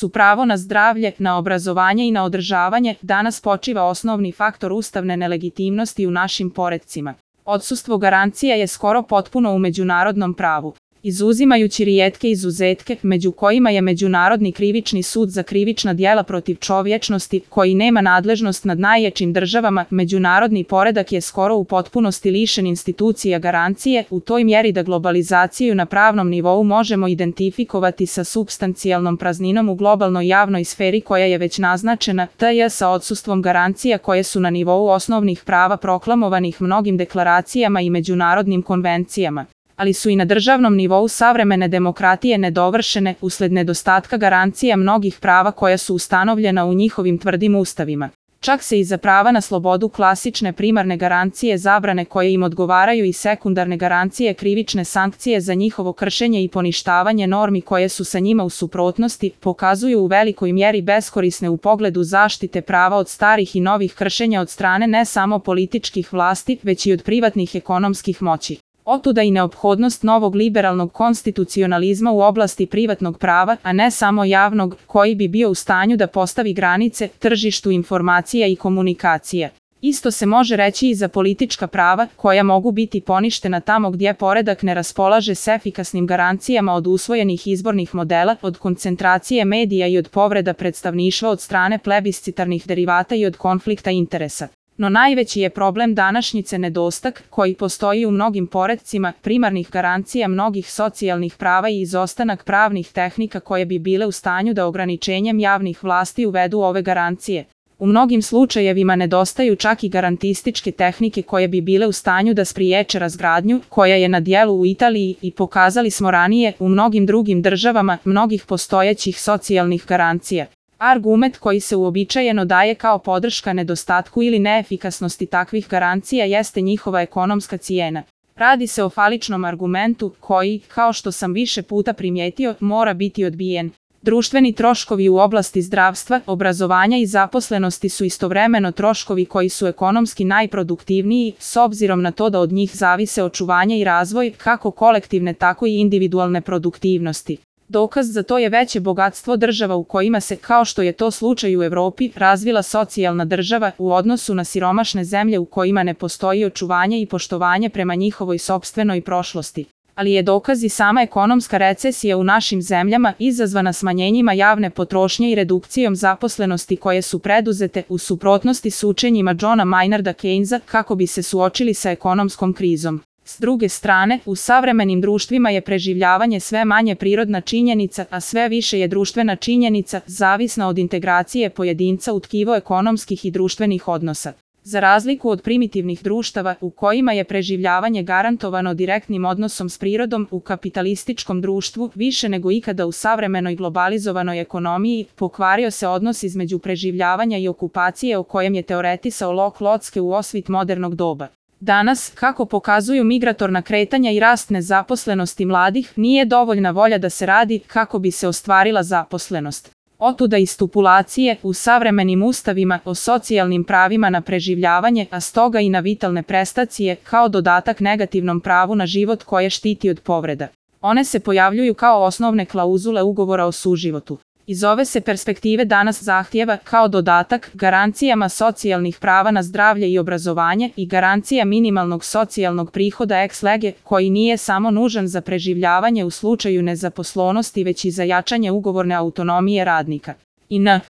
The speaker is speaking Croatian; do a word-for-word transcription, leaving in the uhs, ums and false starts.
su pravo na zdravlje, na obrazovanje i na održavanje, danas počiva osnovni faktor ustavne nelegitimnosti u našim poretcima. Odsustvo garancija je skoro potpuno u međunarodnom pravu. Izuzimajući rijetke izuzetke, među kojima je Međunarodni krivični sud za krivična djela protiv čovječnosti, koji nema nadležnost nad najjačim državama, međunarodni poredak je skoro u potpunosti lišen institucija garancije, u toj mjeri da globalizaciju na pravnom nivou možemo identifikovati sa supstancijalnom prazninom u globalnoj javnoj sferi koja je već naznačena, tj. sa odsustvom garancija koje su na nivou osnovnih prava proklamovanih mnogim deklaracijama i međunarodnim konvencijama, ali su i na državnom nivou savremene demokratije nedovršene usled nedostatka garancija mnogih prava koja su ustanovljena u njihovim tvrdim ustavima. Čak se i za prava na slobodu klasične primarne garancije zabrane koje im odgovaraju i sekundarne garancije krivične sankcije za njihovo kršenje i poništavanje normi koje su sa njima u suprotnosti, pokazuju u velikoj mjeri beskorisne u pogledu zaštite prava od starih i novih kršenja od strane ne samo političkih vlasti, već i od privatnih ekonomskih moći. Otuda i neophodnost novog liberalnog konstitucionalizma u oblasti privatnog prava, a ne samo javnog, koji bi bio u stanju da postavi granice tržištu informacija i komunikacija. Isto se može reći i za politička prava, koja mogu biti poništena tamo gdje poredak ne raspolaže s efikasnim garancijama od usvojenih izbornih modela, od koncentracije medija i od povreda predstavništva od strane plebiscitarnih derivata i od konflikta interesa. No najveći je problem današnjice nedostak, koji postoji u mnogim poretcima, primarnih garancija mnogih socijalnih prava i izostanak pravnih tehnika koje bi bile u stanju da ograničenjem javnih vlasti uvedu ove garancije. U mnogim slučajevima nedostaju čak i garantističke tehnike koje bi bile u stanju da spriječe razgradnju, koja je na djelu u Italiji i pokazali smo ranije u mnogim drugim državama mnogih postojećih socijalnih garancija. Argument koji se uobičajeno daje kao podrška nedostatku ili neefikasnosti takvih garancija jeste njihova ekonomska cijena. Radi se o faličnom argumentu koji, kao što sam više puta primijetio, mora biti odbijen. Društveni troškovi u oblasti zdravstva, obrazovanja i zaposlenosti su istovremeno troškovi koji su ekonomski najproduktivniji, s obzirom na to da od njih zavise očuvanje i razvoj, kako kolektivne tako i individualne produktivnosti. Dokaz za to je veće bogatstvo država u kojima se, kao što je to slučaj u Europi, razvila socijalna država u odnosu na siromašne zemlje u kojima ne postoji očuvanje i poštovanje prema njihovoj sopstvenoj prošlosti. Ali je dokaz i sama ekonomska recesija u našim zemljama izazvana smanjenjima javne potrošnje i redukcijom zaposlenosti koje su preduzete u suprotnosti s učenjima Johna Maynarda Keynesa kako bi se suočili sa ekonomskom krizom. S druge strane, u savremenim društvima je preživljavanje sve manje prirodna činjenica, a sve više je društvena činjenica, zavisna od integracije pojedinca u tkivo ekonomskih i društvenih odnosa. Za razliku od primitivnih društava u kojima je preživljavanje garantovano direktnim odnosom s prirodom, u kapitalističkom društvu, više nego ikada u savremenoj globalizovanoj ekonomiji, pokvario se odnos između preživljavanja i okupacije o kojem je teoretisao Locke Locke u osvit modernog doba. Danas, kako pokazuju migratorna kretanja i rast nezaposlenosti mladih, nije dovoljna volja da se radi kako bi se ostvarila zaposlenost. Otuda i stipulacije u savremenim ustavima o socijalnim pravima na preživljavanje, a stoga i na vitalne prestacije, kao dodatak negativnom pravu na život koje štiti od povreda. One se pojavljuju kao osnovne klauzule ugovora o suživotu. Iz ove se perspektive danas zahtijeva, kao dodatak, garancijama socijalnih prava na zdravlje i obrazovanje i garancija minimalnog socijalnog prihoda ex lege, koji nije samo nužan za preživljavanje u slučaju nezaposlenosti već i za jačanje ugovorne autonomije radnika. I n.